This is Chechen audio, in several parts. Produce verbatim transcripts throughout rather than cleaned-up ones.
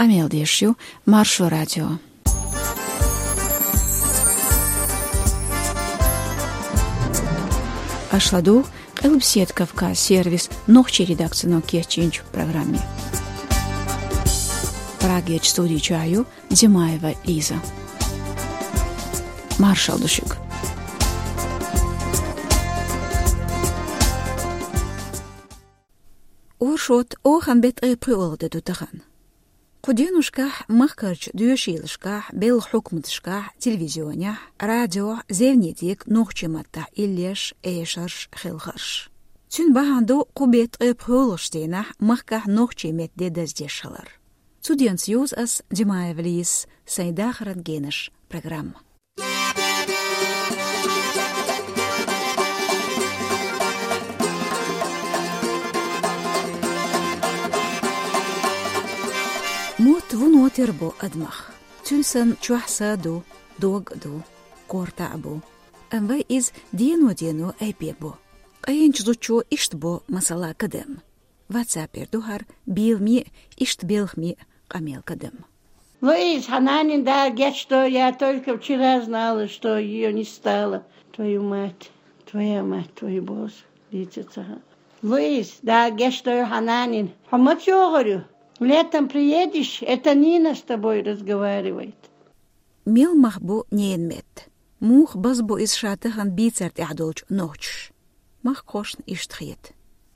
Къамел деш ю Маршо радио. Аша ладугӀу Къилбаседа Кавказ сервисан нохчийн редакцино кечйинчу программе. Прагерчу студи чохь ю Димаева Лиза. Маршалла ду шуьга. Оршот оханан беттан ткъе пхоьалгӀа де ду тахана. Кху деношкахь махкарчу доьшийлашкахь, белхан хьукматашкахь, телевизионехь, радиохь, зевне дега нохчийн маттахь иллеш, эшарш, хелхарш. Цуьнан бахьана ду кху беттан ткъе пхоьалгӀачу дийнахь махкахь нохчийн меттан де даздеш хилар. Цу денца йовза ас, Димаева Лизас, сайн дахаран генаш программа. Мотт вуно тера бу адамах. Цуьнан санна чохь са а ду, дог а ду, корта а бу. Амма вай иза дено-дено айбе бо. Къайначу зудчо иштта бо, масала, кадам. Ватсапера ду хӀара беламе а, иштта белхаме а къамел кадам. Луиз, хьан нанин Дала гечдойла, я только вчера знала, что её не стало. Твою мать, твоя мать, твою босс. Дийца ца хаьа. Луиз, Дала гечдойла хьан нанин. Хьо маца йогӀур ю? Летом приедешь, это Нина с тобой разговаривает. Мел мах бу ненан метта? Муха базбо иза ша тахана бийцар тӀехь долчу нохчаша? Махкахошна иштта хета.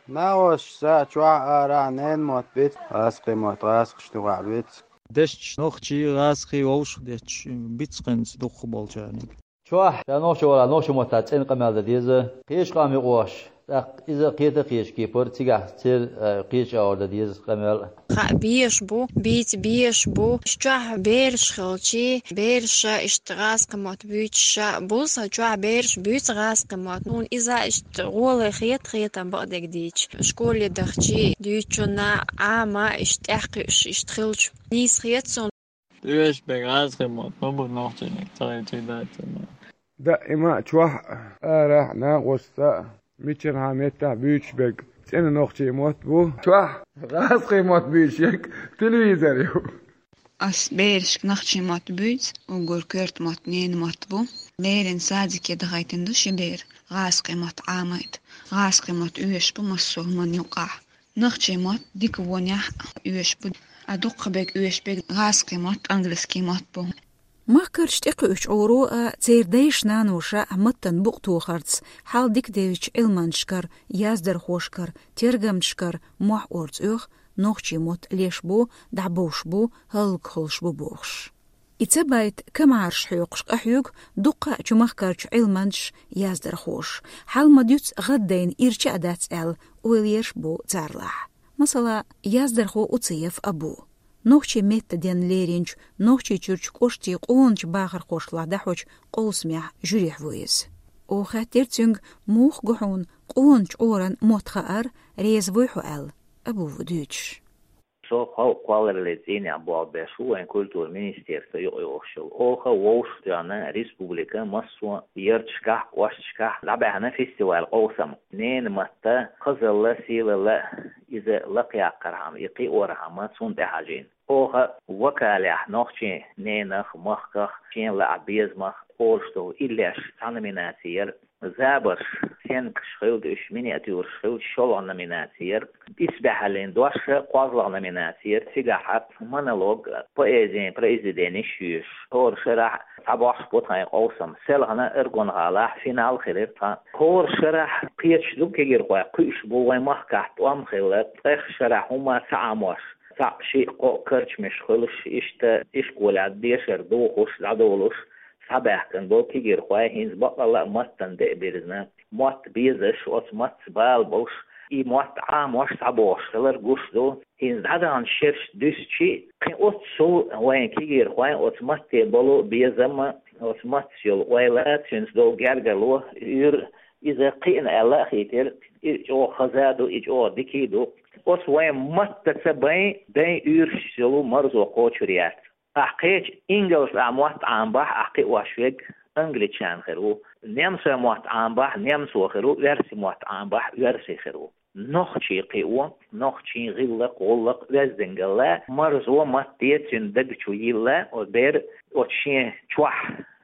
Нахош са чохь арахь ненан мотт бицкъ, гӀазкхийн мотт гӀазкхашна юкъахь бицкъ. Дешча нохчий, гӀазкхий вовшах детташ бицкъ хӀинца дукхахболчарна. Чохь ша нохчо вара, нохчийн маттахь цӀена къамел дан деза. Кхечу къам юкъахь, тӀаккха иза кхета а кхечу кепара, цигахь церан, э, кхечу агӀор дан деза къамел. Хаа безаш бу, бийца безаш бу. Чохь бераш хилчий, бераша иштта гӀазкхийн мотт буьйцуша, бусалба чохь бераш буьйцу гӀазкхийн мотт. Хьуна иза иштта гӀоле хета, хетам бакъдерг дийцича. Школе дахчий, дуьйцучунна Ӏама иштта тӀаьхьакхуьуш иштта хилча, нийса хета суна. Оьшург гӀазкхийн мотт ма бу, нохчийн мотт ца хилчий дац ма. Даима чохь а, арахь а, накъосташца а, миччанхьа меттехь буьйцуш берг цӀена нохчийн мотт бу. Чохь гӀазкхийн мотт буьйцуш ерг телевизор ю. Ас берашка нохчийн мотт буьйцу, уггар коьрта мотт ненан мотт бу. Леррина садике дахийтина ду ши бер, гӀазкхийн мотт Ӏамийта. ГӀазкхийн мотт оьшуш бу массо а хӀуманна юкъахь. Нохчийн мотт дика вонехь а оьшуш бу, а дукхахберг оьшуш берг гӀазкхийн мотт, английский мотт бу. Махкарчу тӀекхуьучу Ӏуьйро а, церан дайша-наноша а маттана букъ тохарца хьал дика девзачу Ӏилманчашкара, яздархошкара, тергамчашкара мохь орца оьху, нохчийн мотт леш бу, дӀабовш бу, хӀаллакьхуьлуш бу бохуш. И ца байта камаьрша хьоькхуш къахьоьгу дуккха а чу махкарчу Ӏилманчаша, яздархоша. Хьал ма дуьцу гӀаддайна ирча а дац аьлла, ойла ерш бу царлахь. Масала, яздархо Уциев Абу. Нохчийн меттан денна леринчу Нохчийчуьрчу кӀоштийн къоначу бахархошлахь дӀахьочу къовсамехь жуьрехь ву иза. Оха хаьттира цуьнга, муха го хьуна къоначу Ӏуьйранна мотт хаар, реза вуй хьо аьлла, Абу ву дуьйцуш. Со халкъан кхоллараллин цӀийнехь болх беш ву вайн культуран министерство юкъайогӀуш йолу. Оха вовшахтоьхна республикан массо а ярташкахь, кӀошташкахь дӀабаьхна фестиваль-къовсам. Ненан матта, хазалла, сийлалла, иза лакхаяккхархьама, и кхиорхьама цунна тӀехьажийна. Оха вокалехь нохчийн ненах, махках, шена лаахь безамах олуш долу иллеш цхьа номинаци яра. Забарш, сценкаш хилла уьш, миниатюраш хилла шолгӀа номинаци яра. Исбаьхьаллин дош кхозлагӀа номинаци яра. Цигахь монолог, поэзин произведенеш йоьшуш. ХӀора шарахь цхьабогӀуш бу тхайн къовсам. Селхана Аргун-гӀалахь финал хилира тхан. ХӀора шарахь кхеташ ду кегирхой, кхуьуш бу вайн махкахь тӀом хилла, ткъех шарахь хӀума ца Ӏамош, цхьаъ, шиъ, кхоъ карчамаш хуьлуш, иштта ишколехь дешар духуш, дӀадолуш, схьабаьхкина болу кегирхой хӀинца баккъалла а маттана тӀе а бирзина, мотт безаш, оцу маттаца бала болуш, и мотт Ӏамош схьабогӀуш хилар гуш ду. ХӀинца дӀадаханчу шерашца дуьстича, кхин оццул вайн кегирхойн оцу матте болу безам а, оцу маттаца йолу ойла а, цуьнца долу гергарло, уьйр, иза кхиъна аьлла а хийтира, и чӀогӀа хаза а ду, и чӀогӀа дика а ду. Оцу вайн маттаца бен, дайн уьйрашца йолу марзо кхочур яц. Ахь кхечу ингалс а мотт Ӏамабахь, ахь кхиош верг англичанин хир ву. Немсойн мотт Ӏамабахь, немцо хир ву, оьрсийн мотт Ӏамабахь, оьрси хир ву. нохчий кхио, нохчий гӀиллакх, гӀуллакх, оьздангалла, марзо, матте цуьнан даг чу йилла, оцу бер оцу шен чохь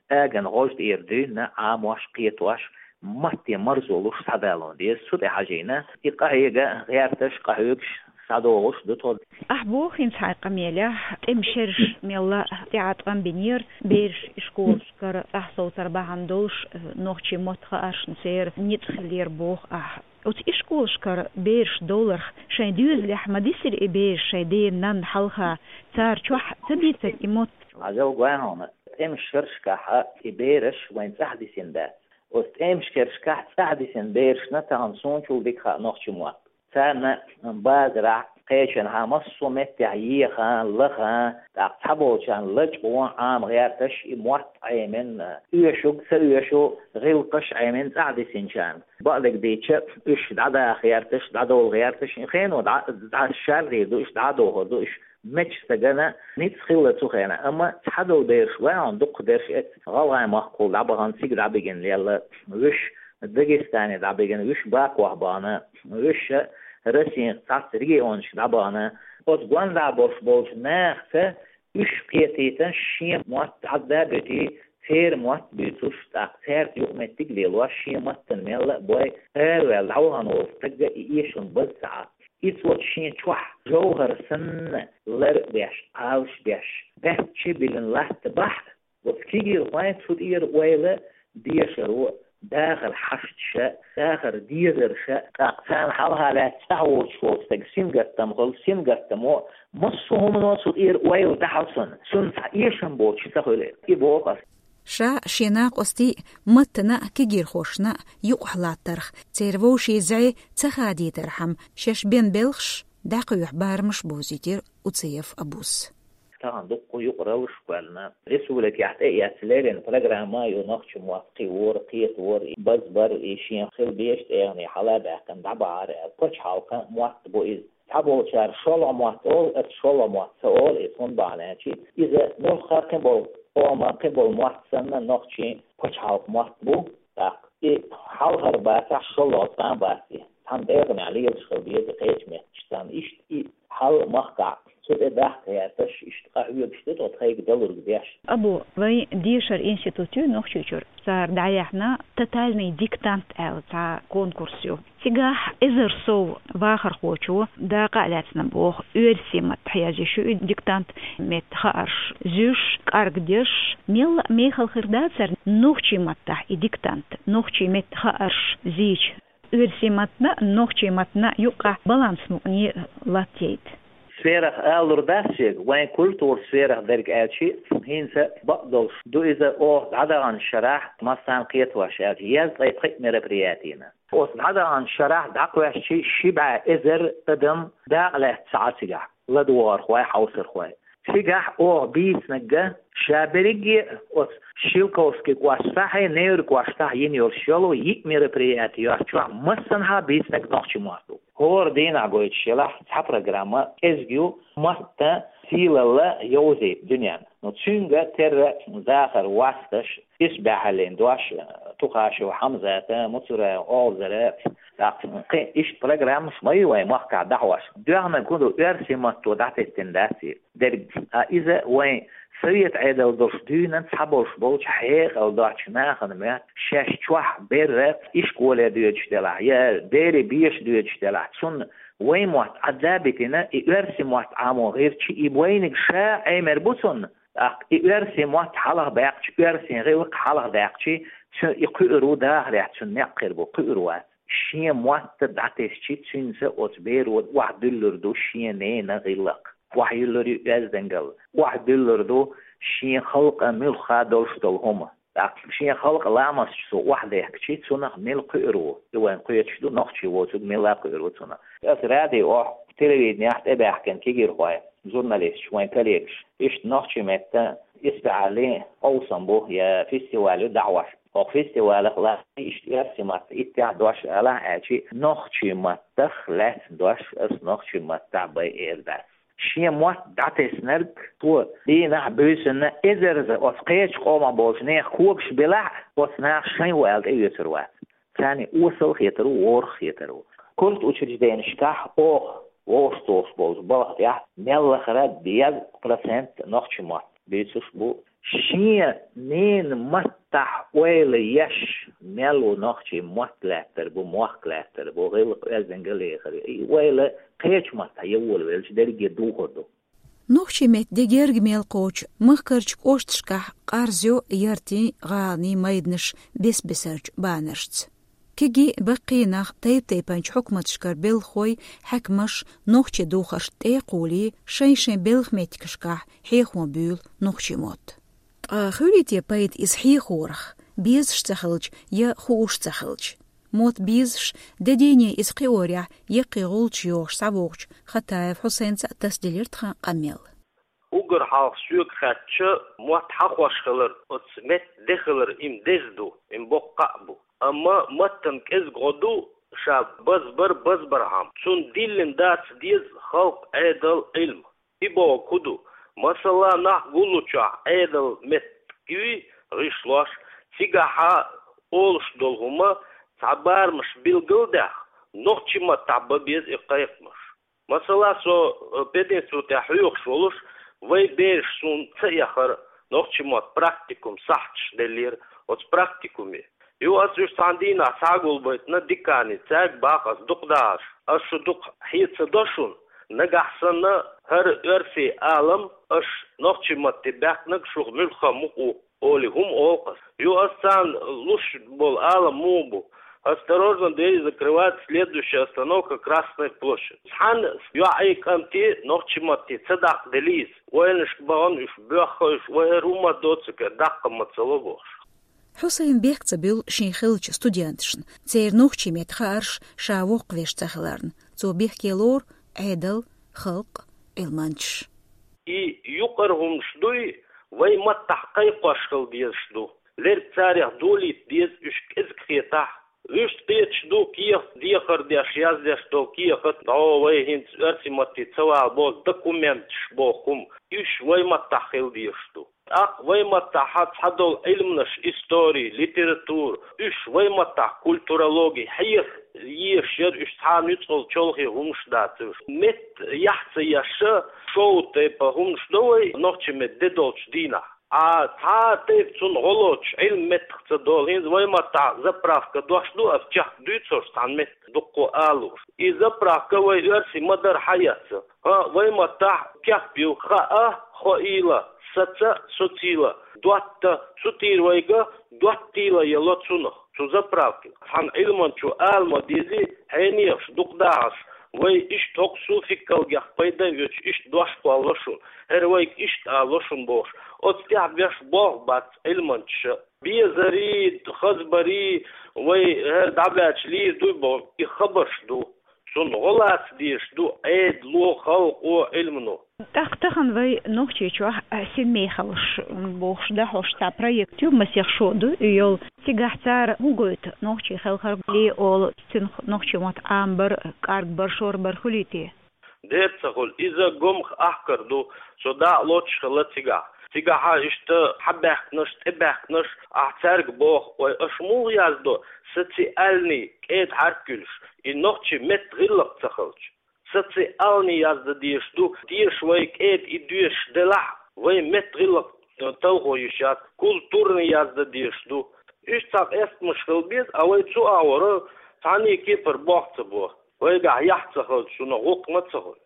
аган гӀожа тӀера дуьйна Ӏамош, кхетош, матте марзо луш схьадалун деза. Цу тӀе хьажийна, и къахьега гӀерташ, къахьоьгуш схьадогӀуш ду тхо. Ахьа боху хӀинца хьайн къамелехь, тӀеман шераш мелла а тӀеӀаткъам бинера, бераш ишколашкара цӀахь совцар бахьана долуш, нохчийн мотт хааршна церан ницкъ хиллера боху ахьа. Оцу ишколашкара бераш довларх шайн доьзалехь ма дисира и бераш шайн ден-нанна хьалха, цара чохь ца дийцира и мотт? Хьажал гой хьуна, тӀеман шерашкахь и бераш вайн цӀахь дисина дац. Оцу тӀеман шерашкахь цӀахь дисина берашна тахана суна чул дика хаьа нохчийн мотт. Царна базарахь, кхечанхьа, массо а меттехь еха, лаха, тӀаккха цхьаболчарна лачкъо Ӏама гӀерташ, и мотт Ӏемина, оьшург, ца оьшу гӀиллакхаш Ӏемина цӀахь дисинчарна. Бакъдерг дийцича, уьш дӀадаха гӀерташ, дӀадовла гӀерташ, и хено дӀа, дӀа шардийр ду уьш, дӀадохур ду уьш. Меттан стагана ницкъ хилла цу хенахь, амма цхьадолу бераш ваьхьана, дукхах берш эцна, гӀалгӀайн махкахула дӀабахана, цига дӀабигина лелла, вуьш Дагестане дӀабигина, вуьш Бакох бахана, вуьш Россин цхьацца регионашка дӀабахана. Оцу гондӀа болуш болчу нахаца уьш кхетийтина шен мотт Ӏадда а буьтий, церан мотт буьйцуш, тӀаккха цаьрца юкъаметтиг а лелош, шен маттана мелла а бой, араваьлла дӀавахана волу стагга и эшам база ца Ӏа. Иза оцу шен чохь жовхӀар санна лар а беш, Ӏалаш а беш, баьчча биллина латта бахь а, оцу кегийрхойн цу тӀера ойла дешаро, дахар хьашташа, дахар дезарша, тӀаккха царна хьалха лаьцна цӀахь воцуш волу стеган сингаттам хуьлу, сингаттамо, массо а хӀумано цу тӀера ойла дахьа цунна, цунна цхьа эшам боцуш ца хуьлу и боху аса. Ша шен накъостий а, маттана а, кегийрхошна а юкъахь латтарх, церан вовшийн зӀе ца хадийтархьама, шаьш бен белхаш дӀакхоьхьу барамаш бовзийтира Уцаев Абус. Тахана дуккха юкъараллаш кхоьллина. Республикехь тӀеэцна леррина программа а ю нохчийн мотт кхиоран, кхетаран, и базбаран, и шен хила безачу тӀегӀане хьала а баьккхина дӀабахьара аьлла. Пачхьалкхан мотт бу иза. Цхьаболчара шолгӀа мотт олу, аса шолгӀа мотт ца олу иза, хӀунда бахьана аьлча, иза муьлхха а кхин болу къоман, кхин болу мотт санна, нохчийн пачхьалкхан мотт бу, тӀаккха и хьалхара бацахь, шолгӀа цкъа а бац и. Цхьана тӀегӀанехь лелаш хила деза кхечу метташца. Иштта и хьал махкахь, цу тӀе дахка гӀерташ, иштта къахьоьгуш ду тхо тхайга далург деш. Абу, вайн дешаран институт ю Нохчийчуьра, цара дӀаяьхьна «Тотальный диктант» аьлла цхьа конкурс ю. Цигахь эзар сов вахархочо дакъа а лаьцна боху, оьрсийн маттахь язъеш ю и диктант, меттан хаарш зуьйш, кӀаргдеш. Мелла а мехала хир дацара нохчийн маттахь и диктант, нохчийн меттан хаарш зийча. Оьрсийн маттана а, нохчийн маттана а юккъехь баланс мукъане латтайта. Сферах алур дац шега, вайн культуран сферах дерг аьлча, хӀинца бакъдолуш ду иза, оха дӀадаханчу шарахь, массарна кхетош аьлча, езткъе пхиъ мероприятина. Оцу дӀадаханчу шарахь дӀакхоьссича ши бӀе эзар адам дакъа лаьцна ца Ӏа цигахь, ладогӀархой, хьовсархой. Цигахь оха бийцинарг ша берриге а оцу Шелковски кӀоштахьий, Невран кӀоштахь йина йолуш йолу йиъ мероприяти йоцчохь массанхьа бийцинарг нохчийн мотт ду. ХӀора дийнахь гойтуш елахь цхьа программа, кӀезиг ю, маттан сийлалла йовзийта дуьненна. Ну, цуьнга терра дахар, васташ, исбаьхьаллин дош, Тухашев Хьамзата, Муцураев Олзара, тӀаккха кхин иштта программаш ма ю вайн махкахь дӀахьош. Доьхнарг хӀун ду, оьрсийн матто дӀатеттина дац и дерг. А иза вайн совет Ӏедал долуш дуьйна цхьаболуш болчу хьекъал доцучу нахана моьтту, шаьш чохь берра ишколе доьдуш делахь, я дери беша доьдуш делахь, цунна вайн мотт Ӏадда а битина, и оьрсийн мотт Ӏамо гӀирчи, и вайниг ша Ӏемер бу цунна. ТӀаккха и оьрсийн мотт хьалха баьккхича, оьрсийн гӀиллакх хьалха даьккхича, цу и кхуьур ву дахарехь, цуьнан некъ хир бу, кхуьур вац. Шен мотт дӀатесчи, цуьнца оцу беро охьадуьллур ду шен ненан гӀиллакх. Охьаюьллур ю оьздангалла, охьадуьллур ду шен халкъан муьлхха долуш долу хӀума. ТӀаккха шен халкъан ламасташ цо охьадехкичи, цунах мила кхуьур ву? И вайн кхеташ ду, нохчи воцург мила кхуьур ву цунах. Аса радиохь, телевиденехь тӀебаьхкина кегийрхой, журналисташ, вайн коллегаш, иштта нохчийн меттан исбаьхьаллин къовсам бу я фестиваль ю дӀахьош. Оха фестивалах латтий иштта оьрсийн маттахь иттех дош алахь аьлчи, нохчийн маттах лаьцна дош аса нохчийн маттахь бай эр дац. Шен мотт дӀатеснарг цо дийнахь, буьйсанна эзарза оцу кхечу къомах болчу нехан когаш белахь а, оцу наха шайн ву аьлла тӀеоьцур вац. Царна осал хетар ву, ворхӀ хетар ву. Культучрежденешкахь оха вовшахтохаш болчу балха тӀехь мел лахара дезткъа процент нохчийн мотт буьйцуш бу. Шен ненан маттахь ойла еш мел ву нохчийн мотт лаьттар бу, мохк лаьттар бу, гӀиллакх-оьздангалла лехар. И ойла кхечу маттахь ян волавелча дерриге духур ду. Нохчийн меттан де герга мел кхочу махкарчу кӀошташкахь къарзайо яртийн, гӀаланийн майданаш бес-бесарчу банаршца. Кегий, баккхий нах тайп-тайпанчу хьукматашкара белхахой, хьаькамаш нохчийн духаршна тӀе а кхулий, шайн-шайн белхан меттигашкахь хьехо буьйлу нохчийн мотт. Ткъа хуьлий те пайда иза хьехорах, безаш ца хилча я хууш ца хилча? Мотт безаш, де дийне иза кхиорехь яккхий гӀулчаш йохуш схьавогӀучу Хатаев Хьусайнца а тасаделира тхан къамел. Уггар хьалха соьга хаьттича, мотт хьахош хилар, оцу меттан де хилар, и-м деза ду, и-м боккха а бу. Амма маттана кӀезиг гӀо ду ша базбар базбархьама. Цунна диллина дац деза халкъан Ӏедал, Ӏилма. И бохург хӀун ду? Масала, нах гуллучохь Ӏедал меттиг юй гӀишлош, цигахь олуш долу хӀума цхьа барамаш билгалдаьхна, нохчийн маттахь бан беза и кхайкхамаш. Масала, со, э, пединститутехь хьоьхуш волуш, вайн бераш суна ца эхара, нохчийн мотт практикум сахьташ деллера оцу практикуме. Юха ас уьш цхьана дийнахь схьагулбайтина декане, цаьрга боху ас дукха дахарш: ас шу дукха хье ца до шуна, нагахь санна хӀара оьрсийн алам аша нохчийн матте баьхкинарг шух муьлхха мукъа ву олий хӀума олу-кх ас. Юха ас царна луш болу алам муха бу: «Осторожно, двери закрываются, следующая остановка — Красная площадь». Цхьана йоӀе, кӀанте нохчийн матте ца даккхаделла иза, ойланашка бахана уьш боьхна, уьш вай хӀара хӀума доцург даккха ма ца ло бохуш. Хьусайн бехк ца буьллу шен хиллачу студенташна, церан нохчийн меттан хаарш ша воккхавеш ца хиларна. Цо бехке лору Ӏедал, халкъ, Ӏилманчаш. И юкъара хӀуманаш дуй, вайн маттахь кхайкхош хила дезаш ду. Лерг царех долийта деза, уьш кӀезиг хетахь. Вуьшта кхеташ ду кехат, дехар деш, яздеш долу кехат, дӀо вай хӀинца оьрсийн матте ца вала боху документаш боху хӀума. Уьш вайн маттахь хила дезаш ду. ТӀаккха вайн маттахь цхьадолу Ӏилманаш, истори, литература, уьш вайн маттахь, культурологи, хьеха езаш яра уьш, цхьа нуьцкъала чолхе хӀуманаш дац уьш. Меттан яхь ца еш, шоу тайпа хӀуманаш до вай нохчийн меттан де долчу дийнахь. Ткъа цхьа а тайпа цунна гӀо лоцуш, Ӏилма меттах ца долу, хӀинца вайн маттахь заправка дош ду, ас чекхдуьйцуш цхьана метта дуккха а лууш. И заправка вай оьрсийн ма-дарра хьаэцна. ХӀаъ, вайн маттахь кеп ю: хаьа, хоийла, саца, социйла, дотта, цу тӀера вайга доттийла яло цунах, цу заправкин. Цхьана Ӏилманчо ала ма дезий, хьенехаш, дукха дахарш, вай иштта хӀокху суффиксалгех пайда а оьцуш, иштта дош кхоллало шуна, хӀара вайга иштта олало шуна бохуш, оцу тӀехь беш болх бац Ӏилманчаша. Безарий, хазбарий, вай хӀара дӀабаьлча лийр дуй боху, и хабарш ду. Цунна гӀо лаца дезаш ду Ӏедало, халкъо, Ӏилмано. ТӀаккха тахана вай Нохчийчохь синмехаллаш бохуш дӀахьош цхьа проект ю, масех шо ду и йолу. Цигахь цара хӀун гойту, нохчи хелхарг ле олу, цуьнах нохчийн мотт Ӏамабар, кӀаргбар, шорбар хуьлий те? Дера ца хуьлу, иза гомах ахкар ду, со дакъа лоцуш хилла цигахь. Цигахьа иштта хьабаьхкинарш, тӀебаьхкинарш, ахь цаьрга боху: «Ой, аша муха яздо социальный кӀеда хьаьрк юьллуш, и нохчийн меттан гӀиллакх ца хилча? Социальный яздан дезаш ду, деша вай кӀеда и доьшуш делахь, вай меттан гӀиллакх, э, талхо йиш яц, культурный яздан дезаш ду». Иштта цхьа къестамаш хила беза, а вай цу агӀора цхьанне кепара болх ца бо. Вайгахь яхь ца хилча, шуна гӀуллакх ма ца хуьлу.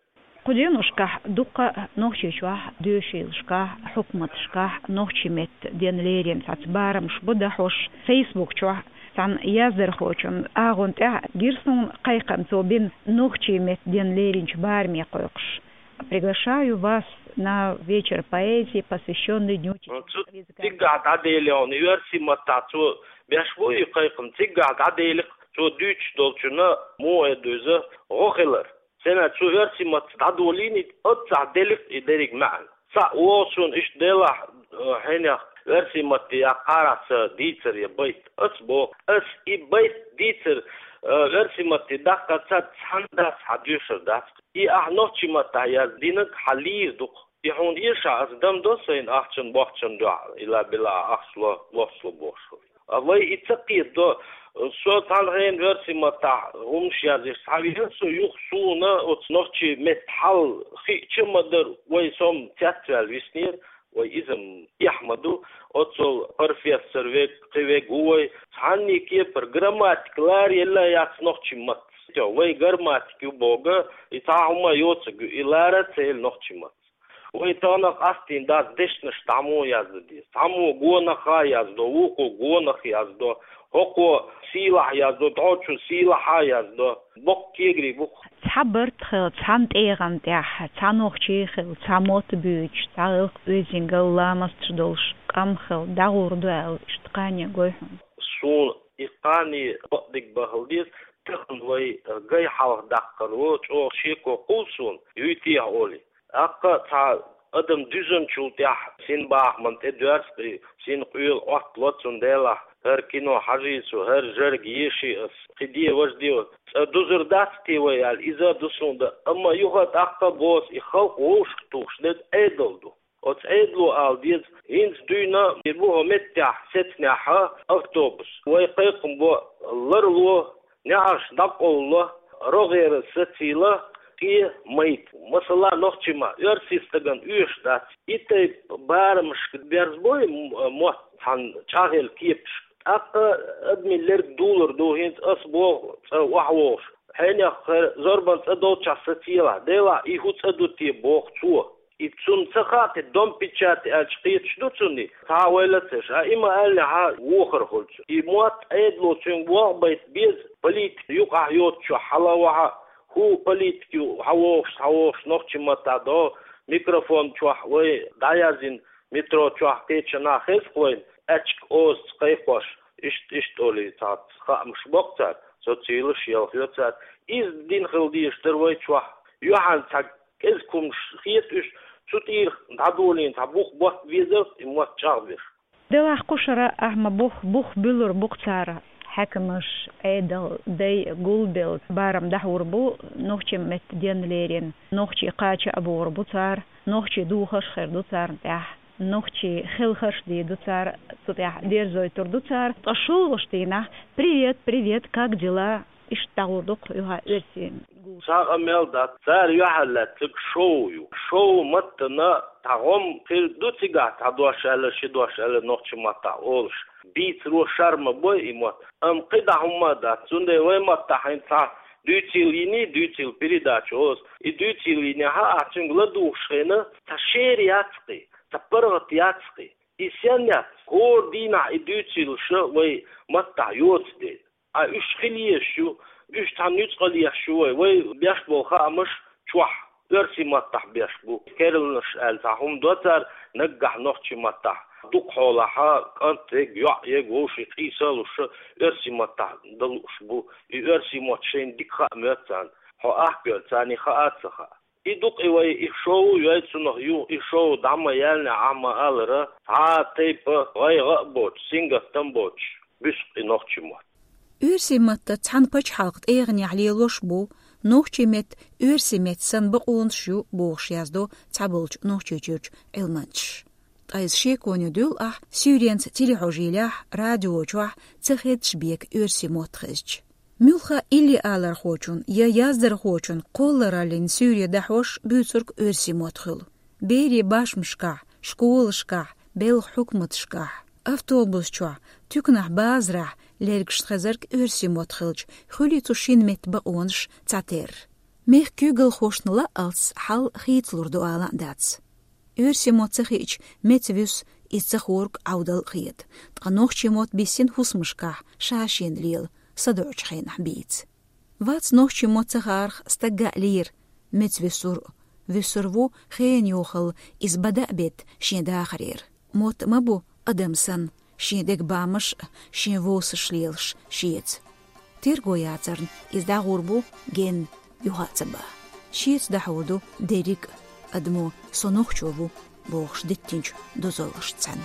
Кху деношкахь дуккха а Нохчийчохь доьшийлашкахь, хьукматашкахь нохчийн меттан ден лерина цхьацца барамаш бу дӀахьош. Фейсбук чохь цхьана яздархочун агӀонна тӀехь гира суна кхайкхам, цо бина нохчийн меттан ден леринчу бараме кхойкхуш: «Приглашаю вас на вечер поэзии, посвящённый Дню чеченского языка». Цигахь дӀаделла хьуна, и оьрсийн маттахь цо беш бу и кхайкхам, цигахь дӀаделира, цо дуьйцуш долчунна, муха эр ду иза, гӀо хилар. Сенна цо оьрсийн матца дӀадолийна, оццахь делира и дерриг маьӀна. Цхьаъ вогӀу суна иштта делахь, э, хьенех оьрсийн матте яккха арахь сан дийцар я байт. Ас боху, ас и байт дийцар, э, оьрсийн матте даккхар ца, цхьана дац хьан доьшур дац. И ахь нохчийн маттахь яздинарг хьан лийр ду-кх. И хьуна эшахь, ас дам до сайна ахчан-бохчан дуьхьа, илла-билла ахча ло, бохча ло бохуш. А вай и ца кхетадо, со цхьана хенахь оьрсийн маттахь хӀумаш язъеш схьавеана, со юха суна оцу нохчийн меттан хьал хиъча ма дара, вай со-м цецваьлла виснера, вай иза-м эхь ма ду, оццул профессор верг, кхин верг ву вай, цхьанний кепара грамматика лара елла яц нохчийн маттаца. Вай грамматика ю боху, и цхьа хӀума йоцург ю, и лара а ца елла нохчийн маттаца. Вай тахана къастийна дац дешнаш цхьаммо а яздан деза. Цхьаммо гонах а яздо, вукхо гонах яздо, хӀокхо сийлахь яздо, дӀочо сийлахь а яздо. Боккха кегарий бу-кх. Цхьа барт хилла, цхьана тӀегӀан тӀехь, цхьа нохчи хилла, цхьа мотт буьйцуш, цхьа гӀиллакх-оьздангалла ламасташ долуш къам хилла, дӀагӀур ду аьлла, иштта кхане гой хьуна? Суна и кхане бакъдерг бан хила деза, тахана вай гай хьалха даккхар ву, чӀогӀа шеко кхуллу суна, юй техьа олий. ТӀаккха цхьа адам дуьзначул тӀаьхьа синбахаман тӀе доьрзу-кх и, синкъоьлу Ӏоттало, цундела хӀара кино хьажий со, хӀара жӀарг еший ас, кхин де, важа де, цкъа дузур дац те вай аьлла, иза а ду суна дан. Амма юха а тӀаккха а боху ас, и халкъ вовшахтухуш дерг Ӏедал ду. Оцу Ӏедало ала деза, хӀинца дуьйна и бу хӀокху меттехь сецнехь автобус. Вай кхайкхам бо, ларло, неӀарш дӀакъовлало, рогӀера сацийла, кхе майта. Масала, нохчийн маттахь оьрсийн стагана оьшуш дац. И тайпа барамашка берзабой м-, мотт цхьана чӀагӀъелла кепашка. ТӀаккха адамийн лерг дулур ду, хӀинца ас боху цкъа охьавогӀуш. Хьенех хӀара зорбан цӀа долчохь сацелахь, делахь и хӀун цӀа ду те боху цо. И цунна ца хаьа те, дом печати аьлча кхеташ ду цунна и? Цхьа а ойла ца еш, а и ма-аьллинехь вохар хуьлу цуьнан. И мотт Ӏедало цуьнга болх байта беза, политика юкъахь йоцучохь хьала а вахьа, хӀун политика ю, хьан вогӀуш, схьавогӀуш нохчийн маттахь догӀу, микрофон чохь вай дӀаяздина, метро чохь кхечанхьа хеза-кх вайна, аьчка озаца кхайкхош, иштта, иштта олий цхьацца хаамаш боккху цара, социалаш ялхайо цара. Иза дина хила дезаш дара вай чохь. Юьхьанца цхьа кӀезиг хӀуманаш хета уьш, цу тӀера дӀадолийна цхьа бух ботта везара и мотт чӀагӀбеш. Делахь кху шарахь ма бух, бух буьллур бу-кх цара. Хьаькамаш, Ӏедал, дай гулбелла барам дӀахьур бу, нохчийн меттан денна лерина. Нохчий кхача а богӀур бу цара, нохчийн духарш хир ду царна тӀехь, нохчийн хелхарш дийр ду цара, цу тӀехь дерзойтур ду цара. Ткъа шолгӀачу дийнахь: «Привет, привет, как дела?» Иштта дӀагӀур ду-кх юха оьрсийн гулам. Цхьа а мел дац, цара юьхьарлаьцнарг шоу ю. Шоу маттана цхьа гӀум хир ду цигахь, цхьа дош аьлла, ши дош аьлла нохчийн маттахь олуш. Бийцаро шарм бой и мотт. Амма кхидӀа хӀумма а дац, цундела вай маттахь хӀинца цхьа дуьйцийла йиний, дуьйцийла передача олу ас. И дуьйцийла йинехь а, ахь цуьнга ладугӀуш хенахь, цхьа шера яц-кх и, цхьа паргӀат яц-кх и. И сенна яц? ХӀора дийнахь и дуьйцийлаш вай маттахь йоцу дела. Ткъа уьш хила езаш ю, уьш цхьа нуьцкъала еш ю вай, вай беш болу хаамаш чохь оьрсийн маттахь беш бу. Керланаш аьлла цхьа хӀума до цара, наггахь нохчийн маттахь дукха хьолахь, кӀант ерг, йоӀ ерг, вовшийн къийса а луш, оьрсийн маттахь дан лууш бу. И оьрсийн мотт шайна дика хаа моьтту царна. Хьо ахкавелла, царний хаа а ца хаьа. И ду-кх и вай, и шоу йой цунах юха, и шоу дӀа ма яьллинехь, ахь ма-аллара, цхьа а тайпа гӀайгӀа а боцуш, сингаттам а боцуш, буьсу-кх и нохчийн мотт. Оьрсийн маттаца цхьана пачхьалкхан тӀегӀанехь лелош а бу, нохчийн меттан оьрсийн меттан санна бакъонаш а ю, бохуш яздо цхьаболчу Нохчийчуьрчу Ӏилманчаша. Ткъа иза шеконе дуьллу ахь суьйренца телехьожийлехь, радио чохь ца хеддаш бен оьрсийн мотт хезча. Муьлхха а иллиалархочун я яздархочун кхоллараллин суьйре дӀахьош буьйцург оьрсийн мотт хуьлу. Берийн башмашкахь, школашкахь, белхан хьукматашкахь, автобус чохь, туьканахь, базарахь лергашна хезарг оьрсийн мотт хилча, хуьлий цу шина меттан бакъонаш цхьатерра. Мехкан куьйгалхошна лаалц хьал хийцалур ду ала а дац. Оьрсийн мотт ца хиъча, меца вуьсу, иза ца хург Ӏовдал а хета. Ткъа нохчийн мотт биссина хӀусамашкахь, ша-шена лела, садоӀучу хенахь бийца. Вац нохчийн мотт ца хаарх стагга а лийр, меца вуьсур а, вуьсур ву хенан йохалла иза бада а бетта шен дахарера. Мотт ма бу адам санна, шен деган бамаш а, шен вовсаш лелаш шеца. Терго яцарна иза дӀагӀур бу генна, юха а ца бан. Шеца дӀахьур ду дерриг а адамо, со нохчо ву бохуш диттинчу дозаллашца цхьаьна.